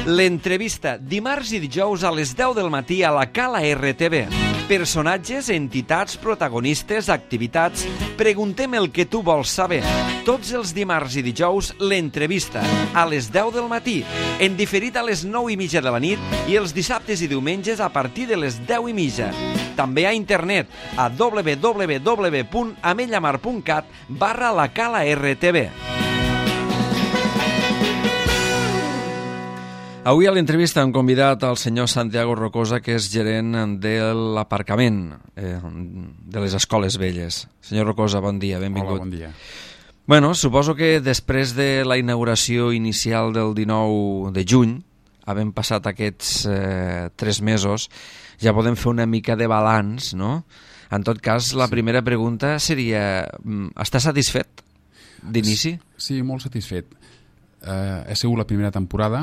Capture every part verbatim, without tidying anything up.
L'entrevista, dimarts i dijous a les deu del matí a la Cala R T V. Personatges, entitats, protagonistes, activitats... Preguntem el que tu vols saber. Tots els dimarts i dijous, l'entrevista, a les deu del matí, en diferit a les nou i mitja de la nit i els dissabtes i diumenges a partir de les deu i mitja. També a internet, a w w w punt amellamar punt cat barra la Cala R T V. Avui a l'entrevista hem convidat al senyor Santiago Rocosa, que és gerent de l'aparcament eh, de les Escoles Velles. Senyor Rocosa, bon dia, benvingut. Hola, bon dia. Bueno, suposo que després de la inauguració inicial del dinou de juny, havent passat aquests eh, tres mesos, ja podem fer una mica de balanç, no? En tot cas, la sí. primera pregunta seria, està satisfet d'inici? Sí, molt satisfet. Eh, ha sigut la primera temporada.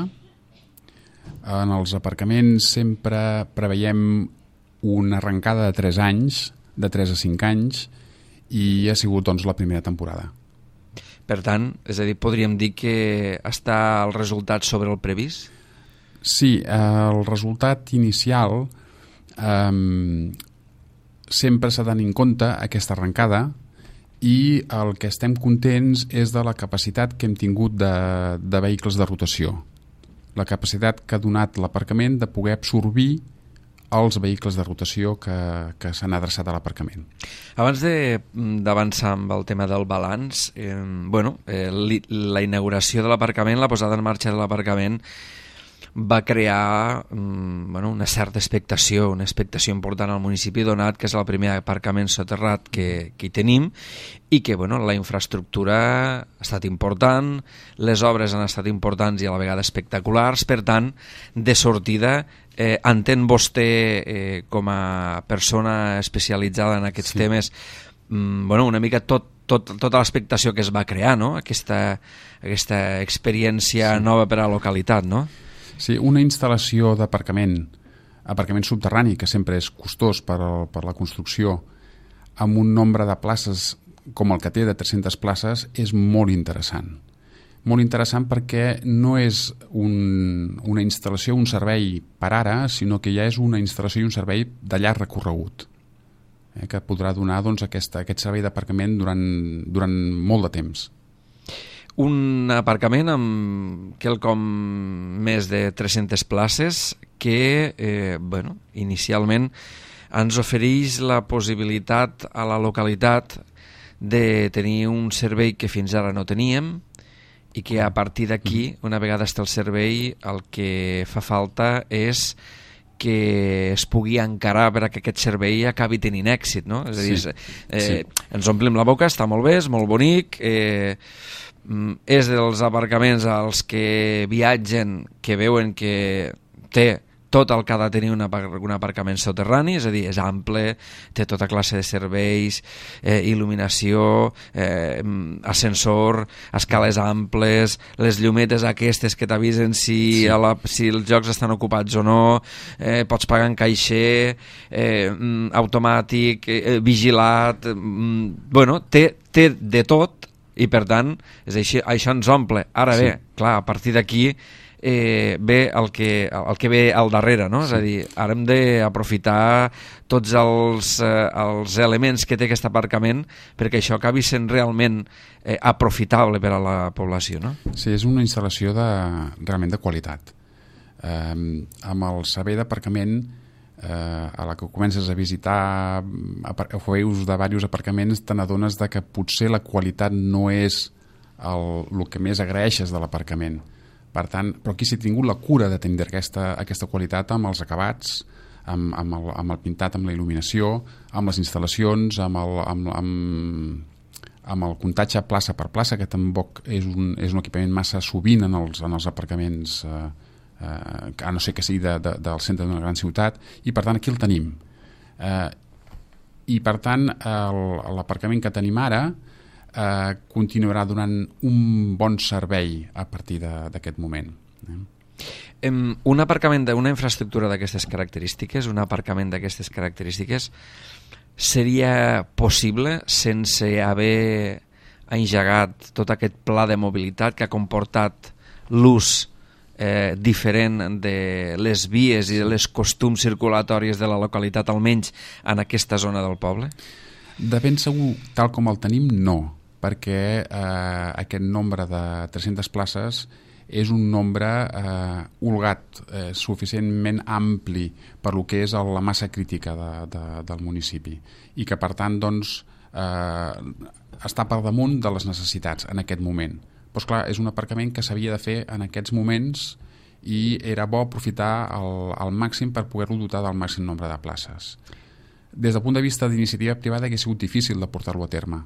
En els aparcaments sempre preveiem una arrencada de tres anys, de tres a cinc anys, i ha sigut doncs la primera temporada. Per tant, és a dir, podríem dir que està el resultat sobre el previst? Sí, el resultat inicial eh, sempre s'ha de tenir en compte aquesta arrencada, i el que estem contents és de la capacitat que hem tingut de, de vehicles de rotació. La capacitat que ha donat l'aparcament de poder absorbir els vehicles de rotació que, que s'han adreçat a l'aparcament. Abans d'avançar amb el tema del balanç, eh, bueno, eh, la inauguració de l'aparcament, la posada en marxa de l'aparcament, va crear mm, bueno, una certa expectació, una expectació important al municipi, donat que és el primer aparcament soterrat que, que hi tenim, i que bueno, la infraestructura ha estat important, les obres han estat importants i a la vegada espectaculars. Per tant, de sortida, eh, entén vostè eh, com a persona especialitzada en aquests sí. temes, mm, bueno, una mica tot, tot, tota l'expectació que es va crear, no? Aquesta, aquesta experiència sí. nova per a la localitat, no? Sí, una instal·lació d'aparcament, aparcament subterrani, que sempre és costós per, el, per la construcció, amb un nombre de places com el que té, de tres-centes places, és molt interessant. Molt interessant perquè no és un, una instal·lació, un servei per ara, sinó que ja és una instal·lació i un servei de llarg recorregut, eh, que podrà donar doncs, aquesta, aquest servei d'aparcament durant, durant molt de temps. Un aparcament amb quelcom més de tres-centes places que, eh, bueno, inicialment ens ofereix la possibilitat a la localitat de tenir un servei que fins ara no teníem i que a partir d'aquí, una vegada està el servei, el que fa falta és que es pugui encarar per a que aquest servei acabi tenint èxit, no? És a dir, sí, eh, sí. ens omplim la boca, està molt bé, és molt bonic, eh, és dels aparcaments als que viatgen que veuen que té tot el que ha de tenir un, un aparcament soterrani, és a dir, és ample, té tota classe de serveis, eh, il·luminació, eh, ascensor, escales amples, les llumetes aquestes que t'avisen si, sí. si els jocs estan ocupats o no, eh, pots pagar en caixer, eh, automàtic, eh, vigilat, eh, bueno, té, té de tot, i per tant, és així, això ens omple. Ara sí. bé, clar, a partir d'aquí eh, ve el que, el que ve al darrere, no? Sí. És a dir, ara hem d'aprofitar tots els, eh, els elements que té aquest aparcament perquè això acabi sent realment eh, aprofitable per a la població, no? Sí, és una instal·lació de, realment de qualitat. Eh, amb el servei d'aparcament, eh, a la que comences a visitar o veus de diversos aparcaments, te n'adones de que potser la qualitat no és el, el que més agraeixes de l'aparcament. Per tant, però aquí s'ha tingut la cura de tenir aquesta, aquesta qualitat amb els acabats, amb, amb, el, amb el pintat, amb la il·luminació, amb les instal·lacions, amb el, amb, amb, amb el comptatge plaça per plaça, que tampoc és un, és un equipament massa sovint en els, en els aparcaments, eh, eh, a no ser que sigui de, de, del centre d'una gran ciutat, i per tant aquí el tenim. Eh, I per tant l'aparcament que tenim ara eh, continuarà donant un bon servei a partir d'aquest moment. Eh? Un aparcament d'una infraestructura d'aquestes característiques, un aparcament d'aquestes característiques, seria possible sense haver engegat tot aquest pla de mobilitat que ha comportat l'ús eh, diferent de les vies i de les costums circulatòries de la localitat, almenys en aquesta zona del poble? De ben segur, tal com el tenim, no, perquè eh, aquest nombre de tres-centes places és un nombre eh, holgat, eh, suficientment ampli per lo que és el, la massa crítica de, de, del municipi i que per tant doncs, eh, està per damunt de les necessitats en aquest moment. Però clar, és un aparcament que s'havia de fer en aquests moments i era bo aprofitar el, el màxim per poder-lo dotar del màxim nombre de places. Des del punt de vista d'iniciativa privada hauria sigut difícil de portar-lo a terme,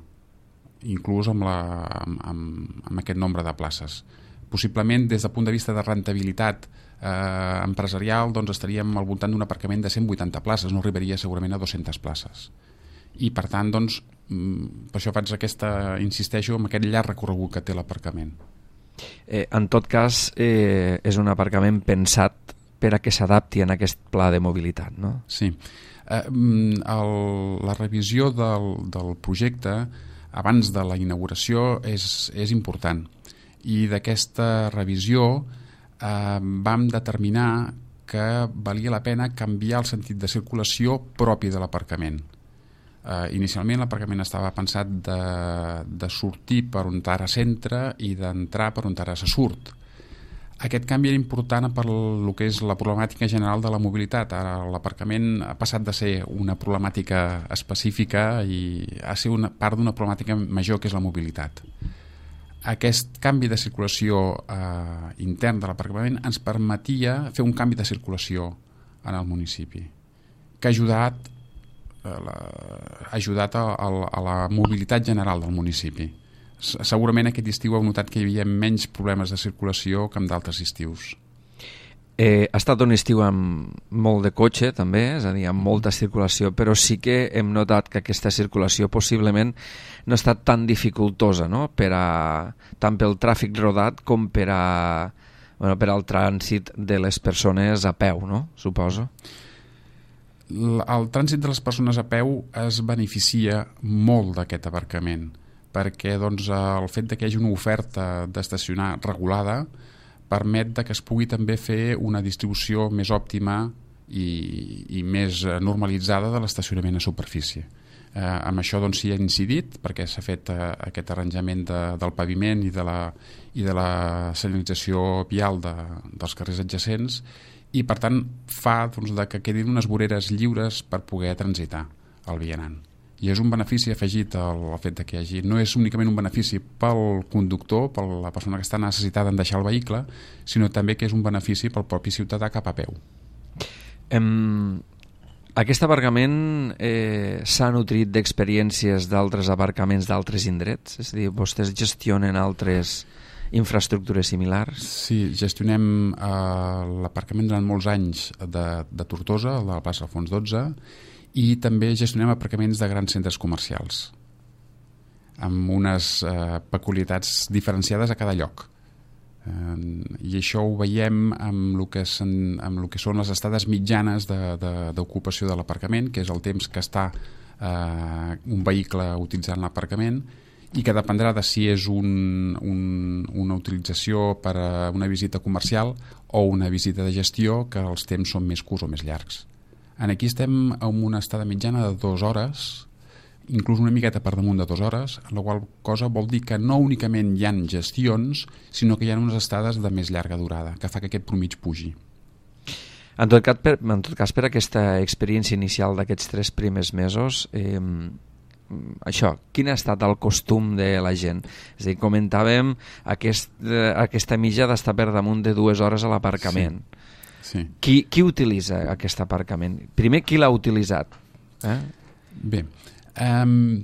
inclús amb, la, amb, amb, amb aquest nombre de places. Possiblement, des del punt de vista de rentabilitat eh, empresarial, doncs estaríem al voltant d'un aparcament de cent vuitanta places, no arribaria segurament a dues-centes places. I, per tant, doncs, per això faig aquesta, insisteixo, en aquest llarg recorregut que té l'aparcament. Eh, en tot cas, eh, és un aparcament pensat per a que s'adapti en aquest pla de mobilitat, no? Sí. Eh, el, la revisió del, del projecte abans de la inauguració és, és important. I d'aquesta revisió eh, vam determinar que valia la pena canviar el sentit de circulació propi de l'aparcament. Eh, inicialment l'aparcament estava pensat de, de sortir per on ara s'entra i d'entrar per on ara se surt. Aquest canvi era important per el que és la problemàtica general de la mobilitat. Ara l'aparcament ha passat de ser una problemàtica específica i ha sigut una part d'una problemàtica major que és la mobilitat. Aquest canvi de circulació eh, intern de l'aparcament ens permetia fer un canvi de circulació en el municipi que ha ajudat, eh, la, ha ajudat a, a, a la mobilitat general del municipi. Segurament aquest estiu heu notat que hi havia menys problemes de circulació que en d'altres estius. Eh, ha estat un estiu amb molt de cotxe també, és a dir, amb molta circulació, però sí que hem notat que aquesta circulació possiblement no ha estat tan dificultosa, no? Per a, tant pel tràfic rodat com per a, bueno, per al trànsit de les persones a peu, no? Suposo. El trànsit de les persones a peu es beneficia molt d'aquest aparcament, perquè doncs, el fet de que hi hagi una oferta d'estacionar regulada permet que es pugui també fer una distribució més òptima i, i més normalitzada de l'estacionament a superfície. Eh, amb això doncs, s'hi ha incidit perquè s'ha fet eh, aquest arranjament de, del paviment i de la, i de la senyalització vial de, dels carrers adjacents i per tant fa doncs, de que quedin unes voreres lliures per poder transitar el vianant. I és un benefici afegit al fet que hi hagi. No és únicament un benefici pel conductor, per la persona que està necessitada en deixar el vehicle, sinó també que és un benefici pel propi ciutadà cap a peu. Um, aquest aparcament eh, s'ha nutrit d'experiències d'altres aparcaments d'altres indrets? És a dir, vostès gestionen altres infraestructures similars? Sí, gestionem eh, l'aparcament durant molts anys de, de Tortosa, de la plaça Alfons dotze, i també gestionem aparcaments de grans centres comercials amb unes eh, peculiaritats diferenciades a cada lloc. Eh, I això ho veiem amb el que, sen, amb el que són les estades mitjanes d'ocupació de, de, de l'aparcament, que és el temps que està eh, un vehicle utilitzant l'aparcament i que dependrà de si és un, un, una utilització per a una visita comercial o una visita de gestió, que els temps són més curts o més llargs. En aquí estem amb una estada mitjana de dues hores, inclús una miqueta per damunt de dues hores, la qual cosa vol dir que no únicament hi ha gestions, sinó que hi ha unes estades de més llarga durada, que fa que aquest promig pugi. En tot cas, per, en tot cas, per aquesta experiència inicial d'aquests tres primers mesos, eh, això, quin ha estat el costum de la gent? És a dir, comentàvem aquest, eh, aquesta mitja d'estar per damunt de dues hores a l'aparcament. Sí. Sí. Qui, qui utilitza aquest aparcament? Primer, qui l'ha utilitzat? Eh? Bé, um,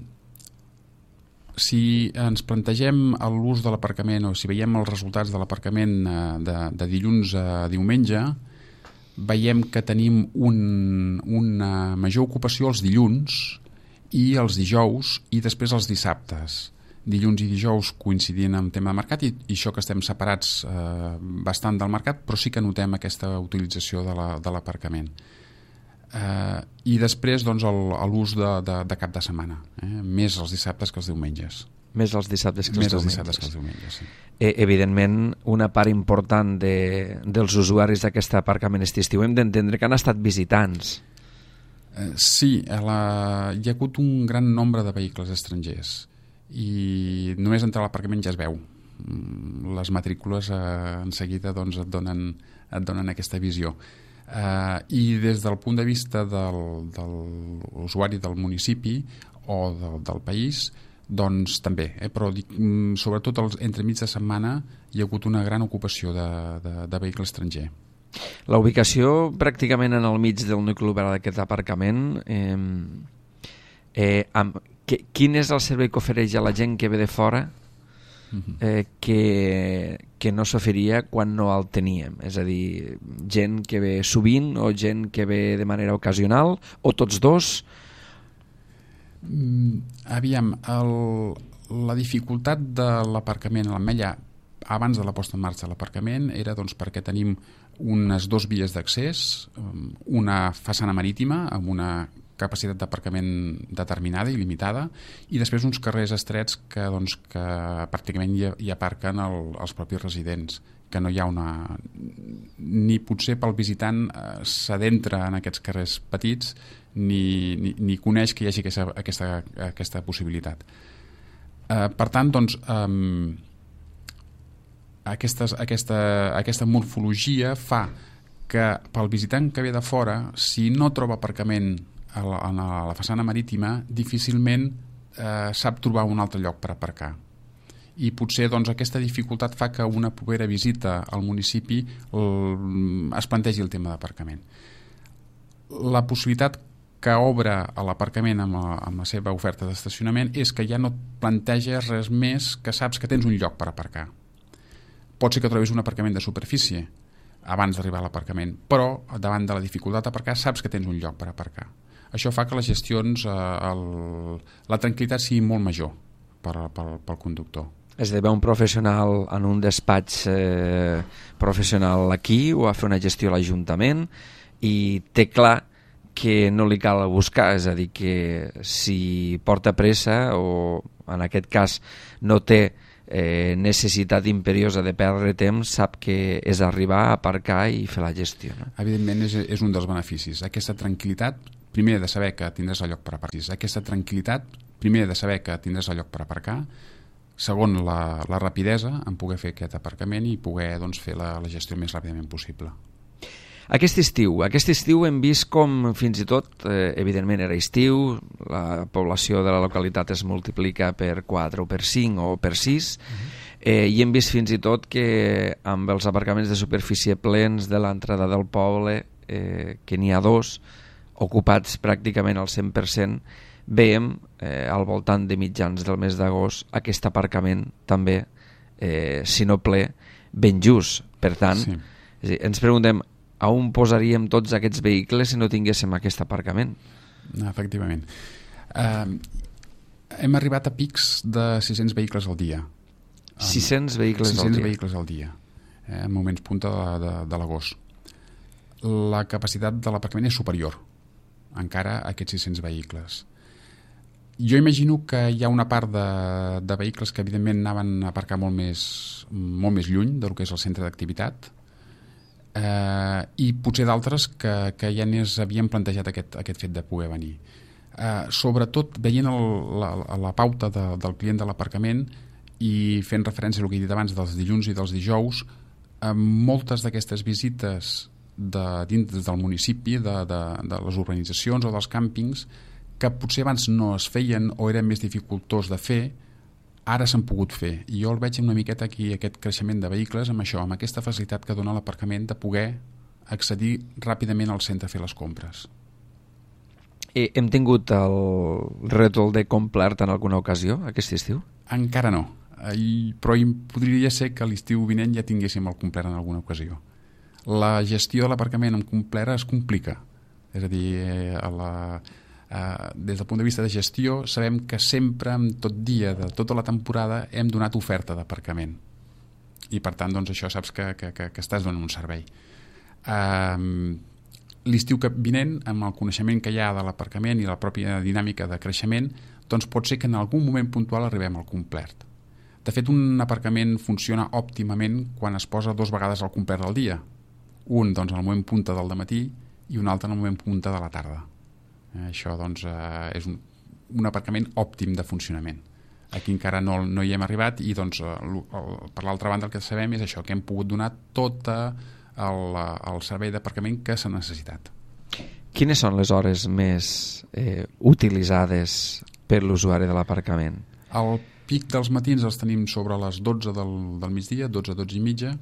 si ens plantegem l'ús de l'aparcament o si veiem els resultats de l'aparcament de, de dilluns a diumenge, veiem que tenim un, una major ocupació els dilluns i els dijous i després els dissabtes. Dilluns i dijous coincidint amb tema de mercat i, i això que estem separats eh, bastant del mercat, però sí que notem aquesta utilització de l'aparcament. La, eh, I després doncs, l'ús de, de, de cap de setmana, eh, més els dissabtes que els diumenges. Més els dissabtes que els Més els diumenges. dissabtes que els diumenges, sí. Eh, evidentment, una part important de, dels usuaris d'aquest aparcament estiu hem d'entendre que han estat visitants. Eh, sí, a la... hi ha hagut un gran nombre de vehicles estrangers i només entrar a l'aparcament ja es veu. Les matrícules eh, en seguida doncs, et, donen, et donen aquesta visió. Eh, I des del punt de vista del, de l'usuari del municipi o del, del país, doncs també, eh? Però dic, sobretot els, entre mig de setmana hi ha hagut una gran ocupació de, de, de vehicle estranger. La ubicació pràcticament en el mig del nucli urbà d'aquest aparcament, eh, eh, amb, que, quin és el servei que ofereix a la gent que ve de fora eh, que, que no s'oferia quan no el teníem? És a dir, gent que ve sovint o gent que ve de manera ocasional o tots dos? Mm, aviam, el, la dificultat de l'aparcament a l'Ametlla abans de la posta en marxa de l'aparcament era doncs, perquè tenim unes dos vies d'accés, una façana marítima amb una capacitat d'aparcament determinada i limitada, i després uns carrers estrets que, doncs, que pràcticament hi, hi aparquen el, els propis residents, que no hi ha una... ni potser pel visitant eh, s'adentra en aquests carrers petits ni, ni, ni coneix que hi hagi aquesta, aquesta, aquesta possibilitat. Eh, per tant, doncs, eh, aquestes, aquesta, aquesta morfologia fa que pel visitant que ve de fora, si no troba aparcament a la, a la façana marítima, difícilment eh, sap trobar un altre lloc per aparcar. I potser doncs, aquesta dificultat fa que una propera visita al municipi el, es plantegi el tema d'aparcament. La possibilitat que obre a l'aparcament amb, la, amb la seva oferta d'estacionament és que ja no planteges res més que saps que tens un lloc per aparcar. Pot ser que trobis un aparcament de superfície abans d'arribar a l'aparcament, però davant de la dificultat d'aparcar saps que tens un lloc per aparcar. Això fa que les gestions, eh, el, la tranquil·litat sigui molt major per, pel, pel conductor. Esdevé un professional en un despatx eh, professional aquí o a fer una gestió a l'Ajuntament i té clar que no li cal buscar, és a dir, que si porta pressa o en aquest cas no té eh, necessitat imperiosa de perdre temps, sap que és arribar a aparcar i fer la gestió. No? Evidentment és, és un dels beneficis. Aquesta tranquil·litat, primer de saber que tindràs el lloc per aparcar. Aquesta tranquil·litat, primer de saber que tindràs el lloc per aparcar. Segon, la, la rapidesa en poder fer aquest aparcament i poder doncs, fer la, la gestió el més ràpidament possible. Aquest estiu, aquest estiu hem vist com fins i tot, eh, evidentment era estiu, la població de la localitat es multiplica per quatre o per cinc o per sis, uh-huh. eh, i hem vist fins i tot que amb els aparcaments de superfície plens de l'entrada del poble, eh, que n'hi ha dos, ocupats pràcticament al cent per cent, veiem eh, al voltant de mitjans del mes d'agost aquest aparcament també, eh, si no ple, ben just. Per tant, sí. és dir, ens preguntem a on posaríem tots aquests vehicles si no tinguéssim aquest aparcament? Efectivament. Uh, hem arribat a pics de sis-cents vehicles al dia. sis-cents vehicles sis-cents al dia? vehicles al dia, eh, en moments punta de, de, de l'agost. La capacitat de l'aparcament és superior encara a aquests sis-cents vehicles. Jo imagino que hi ha una part de, de vehicles que evidentment anaven a aparcar molt més, molt més lluny del que és el centre d'activitat, eh, i potser d'altres que, que ja n'és havien plantejat aquest, aquest fet de poder venir. Eh, sobretot veient el, la, la pauta de, del client de l'aparcament i fent referència al que he dit abans dels dilluns i dels dijous, eh, moltes d'aquestes visites de, dins del municipi, de, de, de les urbanitzacions o dels càmpings, que potser abans no es feien o eren més dificultós de fer, ara s'han pogut fer. I jo el veig una miqueta aquí, aquest creixement de vehicles, amb això, amb aquesta facilitat que dona l'aparcament de poder accedir ràpidament al centre a fer les compres. I hem tingut el rètol de complet en alguna ocasió aquest estiu? Encara no, I, però podria ser que l'estiu vinent ja tinguéssim el complet en alguna ocasió. La gestió de l'aparcament amb complet es complica, és a dir, a la... Uh, des del punt de vista de gestió sabem que sempre, en tot dia de tota la temporada, hem donat oferta d'aparcament i per tant doncs, això saps que, que, que, que estàs donant un servei. Uh, l'estiu que vinent, amb el coneixement que hi ha de l'aparcament i la pròpia dinàmica de creixement, doncs pot ser que en algun moment puntual arribem al complet. De fet, un aparcament funciona òptimament quan es posa dues vegades al complet al dia. Un doncs, en el moment punta del dematí i un altre en el moment punta de la tarda. Eh, això doncs, eh, és un, un aparcament òptim de funcionament. Aquí encara no, no hi hem arribat i doncs, el, el, per l'altra banda el que sabem és això, que hem pogut donar tot el, el servei d'aparcament que s'ha necessitat. Quines són les hores més eh, utilitzades per l'usuari de l'aparcament? El pic dels matins els tenim sobre les dotze del, del migdia, dotze, dotze i mitja,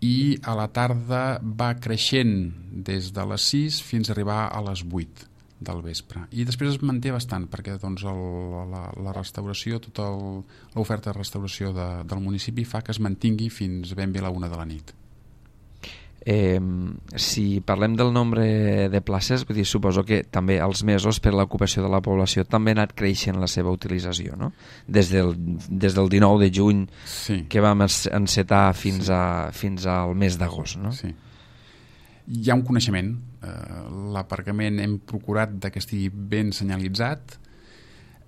i a la tarda va creixent des de les sis fins a arribar a les vuit del vespre. I després es manté bastant, perquè doncs, el, la, la restauració, tota l'oferta de restauració de, del municipi fa que es mantingui fins ben bé a la una de la nit. Eh, si parlem del nombre de places, vull dir, suposo que també els mesos per l'ocupació de la població també ha anat creixent la seva utilització, no? Des del, des del dinou de juny sí. que vam encetar fins, sí. a, fins al mes d'agost, no? Sí. Hi ha un coneixement. Eh, l'aparcament hem procurat que estigui ben senyalitzat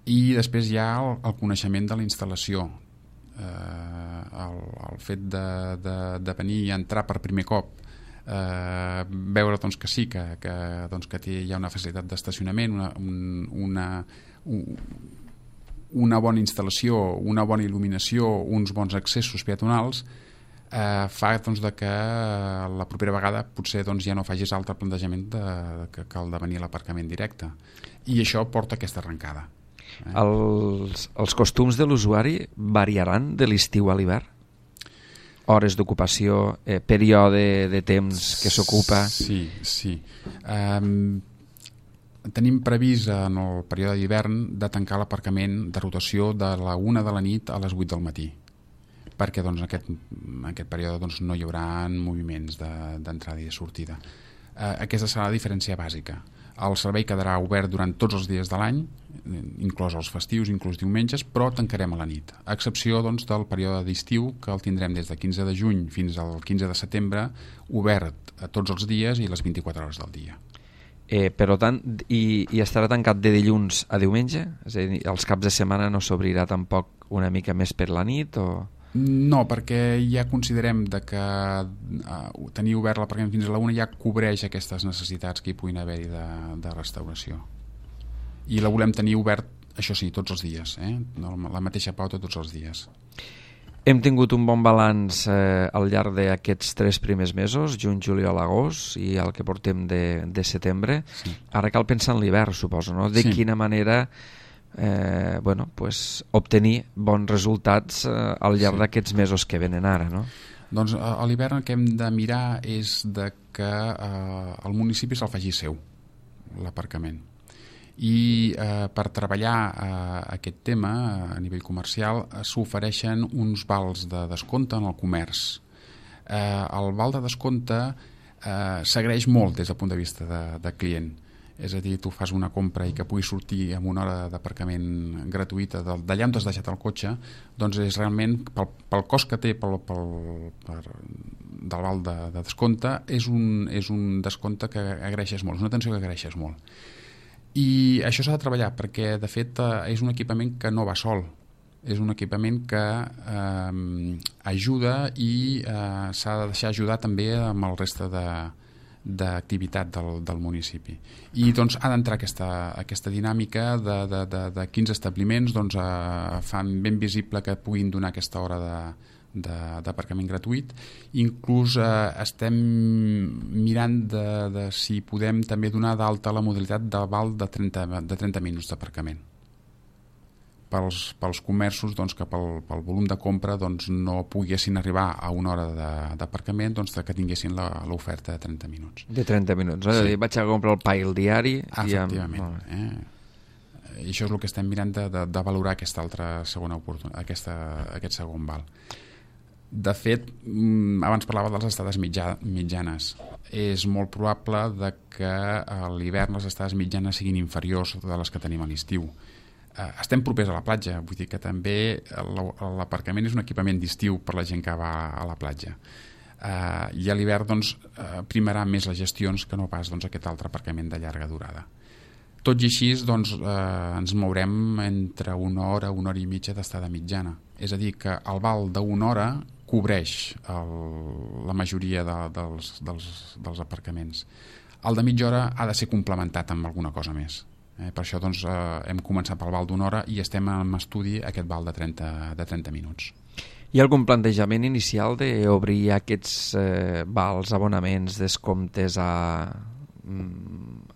i després hi ha el, el coneixement de la instal·lació. Eh, el, el fet de, de, de venir i entrar per primer cop, eh, veure doncs, que sí, que, que, doncs, que té, hi ha una facilitat d'estacionament, una, un, una, un, una bona instal·lació, una bona il·luminació, uns bons accessos peatonals, eh, fa doncs, de que la propera vegada potser doncs, ja no facis altre plantejament de, que, que el de venir a l'aparcament directe. I això porta aquesta arrencada. Eh? Els, els costums de l'usuari variaran de l'estiu a l'hivern? Hores d'ocupació, eh, període de temps que s'ocupa? Sí, sí. Um, tenim previst en el període d'hivern de tancar l'aparcament de rotació de la una de la nit a les vuit del matí, perquè doncs, en, aquest, en aquest període doncs, no hi haurà moviments d'entrada de, i de sortida. Eh, aquesta serà la diferència bàsica. El servei quedarà obert durant tots els dies de l'any, inclòs els festius, inclús diumenges, però tancarem a la nit, a excepció doncs, del període d'estiu, que el tindrem des del quinze de juny fins al quinze de setembre, obert a tots els dies i les vint-i-quatre hores del dia. Eh, per tant, i, i estarà tancat de dilluns a diumenge? És a dir, els caps de setmana no s'obrirà tampoc una mica més per la nit? O... No, perquè ja considerem de que uh, tenir obert l'aparcament fins a la una ja cobreix aquestes necessitats que hi puguin haver de, de restauració. I la volem tenir obert, això sí, tots els dies, eh? La mateixa pauta tots els dies. Hem tingut un bon balanç eh, al llarg d'aquests tres primers mesos, juny, juliol, agost, i el que portem de, de setembre. Sí. Ara cal pensar en l'hivern, suposo, no? De sí. quina manera... Eh, bueno, pues, obtenir bons resultats eh, al llarg sí. d'aquests mesos que venen ara, no? Doncs a l'hivern el que hem de mirar és de que eh, el municipi se'l faci seu, l'aparcament. I eh, per treballar eh, aquest tema a nivell comercial eh, s'ofereixen uns vals de descompte en el comerç. Eh, el val de descompte eh, s'agraeix molt des del punt de vista de, de client. És a dir, tu fas una compra i que puguis sortir amb una hora d'aparcament gratuïta d'allà on t'has deixat el cotxe, doncs és realment, pel, pel cost que té pel, pel, per, del val de, de descompte, és un, és un descompte que agraeixes molt, és una atenció que agraeixes molt. I això s'ha de treballar perquè, de fet, és un equipament que no va sol. És un equipament que eh, ajuda i eh, s'ha de deixar ajudar també amb el reste de d'activitat del, del municipi. I doncs ha d'entrar aquesta, aquesta dinàmica de, de, de, de quins establiments doncs, eh, fan ben visible que puguin donar aquesta hora de, d'aparcament gratuït. Inclús eh, estem mirant de, de si podem també donar d'alta la modalitat de val de trenta, de trenta minuts d'aparcament. Pels, pels comerços doncs, que pel, pel volum de compra doncs, no poguessin arribar a una hora de, d'aparcament, doncs, que tinguessin la, l'oferta de trenta minuts. De trenta minuts, no? Sí. És a dir, vaig a comprar el pa i el diari... Efectivament. I amb... eh? I això és el que estem mirant de, de, de valorar aquesta altra segona oportunitat, aquesta, aquest segon val. De fet, abans parlava de les estades mitja, mitjanes. És molt probable de que a l'hivern les estades mitjanes siguin inferiors de les que tenim a l'estiu. Estem propers a la platja, vull dir que també l'aparcament és un equipament d'estiu per la gent que va a la platja. Uh, I a l'hivern doncs, uh, primarà més les gestions que no pas doncs, aquest altre aparcament de llarga durada. Tot i així, doncs, eh, ens mourem entre una hora, una hora i mitja d'estada mitjana. És a dir, que el val d'una hora cobreix el, la majoria de, dels, dels, dels aparcaments. El de mitja hora ha de ser complementat amb alguna cosa més. Eh, per això doncs, eh, hem començat pel val d'una hora i estem en estudi aquest val de trenta, de trenta minuts. Hi ha algun plantejament inicial d'obrir aquests eh, vals, abonaments, descomptes a,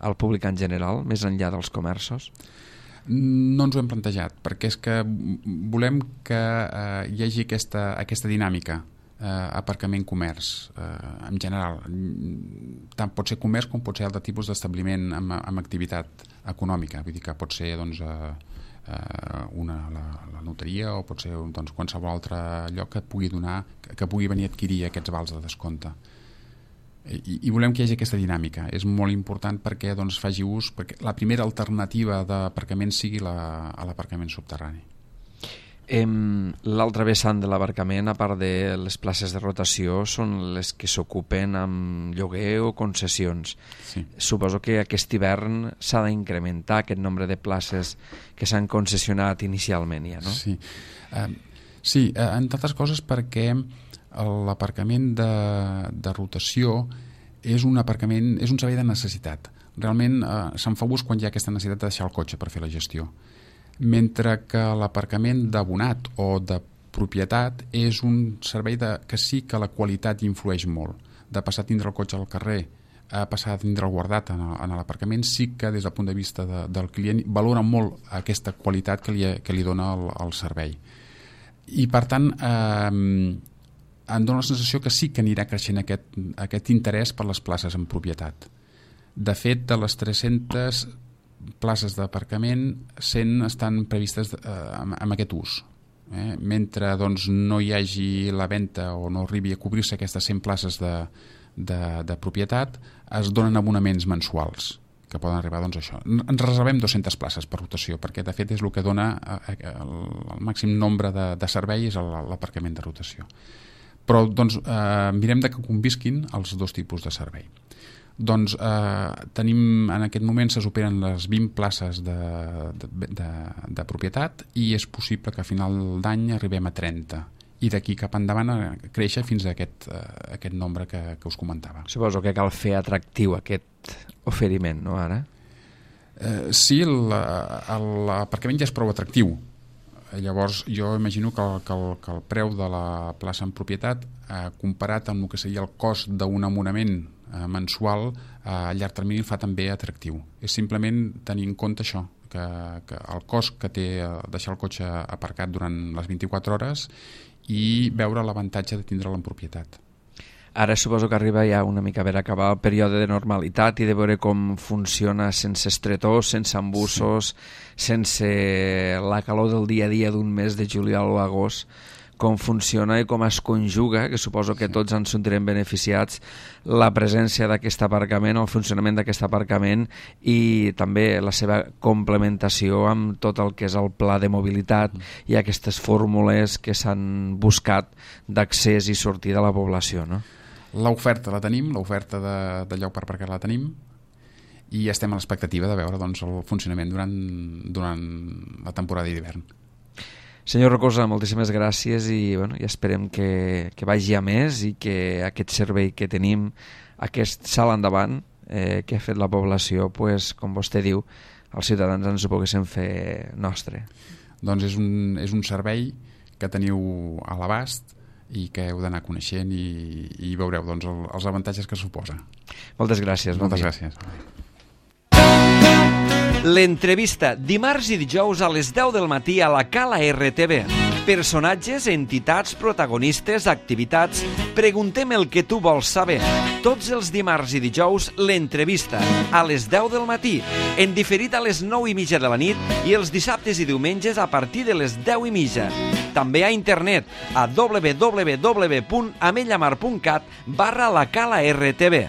al públic en general, més enllà dels comerços? No ens ho hem plantejat, perquè és que volem que eh, hi hagi aquesta, aquesta dinàmica, eh, aparcament-comerç, eh, en general. Tant pot ser comerç com pot ser altre tipus d'establiment amb, amb activitat econòmica, vull dir que pot ser doncs, eh, una, la, la notaria o pot ser doncs, qualsevol altre lloc que pugui donar, que pugui venir a adquirir aquests vals de descompte. I, i volem que hi hagi aquesta dinàmica. És molt important perquè doncs, faci ús, perquè la primera alternativa d'aparcament sigui la, a l'aparcament subterrani. L'altra vessant de l'aparcament, a part de les places de rotació, són les que s'ocupen amb lloguer o concessions. Sí. Suposo que aquest hivern s'ha d'incrementar aquest nombre de places que s'han concessionat inicialment ja, no? Sí, uh, sí uh, entre altres coses perquè l'aparcament de, de rotació és un aparcament, és un servei de necessitat. Realment eh, se'n fa ús quan hi ha aquesta necessitat de deixar el cotxe per fer la gestió. Mentre que l'aparcament d'abonat o de propietat és un servei de, que sí que la qualitat influeix molt. De passar a tindre el cotxe al carrer a passar a tindre el guardat en, en l'aparcament, sí que des del punt de vista de, del client valora molt aquesta qualitat que li, que li dona el, el servei. I per tant eh, em dóna la sensació que sí que anirà creixent aquest, aquest interès per les places en propietat. De fet, de les tres-centes places d'aparcament, cent estan previstes eh, amb, amb aquest ús. Eh? Mentre doncs, no hi hagi la venda o no arribi a cobrir-se aquestes cent places de, de, de propietat, es donen abonaments mensuals que poden arribar doncs, a això. Ens reservem dues-centes places per rotació, perquè de fet és el que dona el, el màxim nombre de, de servei és l'aparcament de rotació. Però doncs, eh, mirem de que convisquin els dos tipus de servei. Doncs eh, tenim, en aquest moment se superen les vint places de, de, de, de propietat i és possible que a final d'any arribem a trenta i d'aquí cap endavant a créixer fins a aquest, eh, aquest nombre que, que us comentava. Suposo que cal fer atractiu aquest oferiment, no ara? Eh, sí, l'aparcament ja és prou atractiu. Llavors jo imagino que el, que, el, que el preu de la plaça en propietat eh, comparat amb el que seria el cost d'un abonament eh, mensual eh, a llarg termini el fa també atractiu. És simplement tenir en compte això, que, que el cost que té deixar el cotxe aparcat durant les vint-i-quatre hores i veure l'avantatge de tindre'l en propietat. Ara suposo que arriba ja una mica a veure acabar el període de normalitat i de veure com funciona sense estretors, sense embussos, sí. sense la calor del dia a dia d'un mes de juliol o agost, com funciona i com es conjuga, que suposo que tots ens sentirem beneficiats, la presència d'aquest aparcament, el funcionament d'aquest aparcament i també la seva complementació amb tot el que és el pla de mobilitat i aquestes fórmules que s'han buscat d'accés i sortida a la població, no? L'oferta la tenim, l'oferta de, de lloc per aparcar la tenim i estem a l'expectativa de veure doncs, el funcionament durant, durant la temporada d'hivern. Senyor Rocosa, moltíssimes gràcies i, bueno, i esperem que, que vagi a més i que aquest servei que tenim, aquest salt endavant eh, que ha fet la població, pues, com vostè diu, els ciutadans ens ho poguessin fer nostre. Doncs és un, és un servei que teniu a l'abast i que heu d'anar coneixent i, i veureu doncs, el, els avantatges que suposa. Moltes gràcies. Moltes bon gràcies. L'entrevista, dimarts i dijous a les deu del matí a la Cala R T V. Personatges, entitats, protagonistes, activitats... Preguntem el que tu vols saber. Tots els dimarts i dijous, l'entrevista, a les deu del matí, en diferit a les nou i mitja de la nit i els dissabtes i diumenges a partir de les deu i mitja. També a internet a w w w punt ametlla mar punt cat barra la Cala R T V.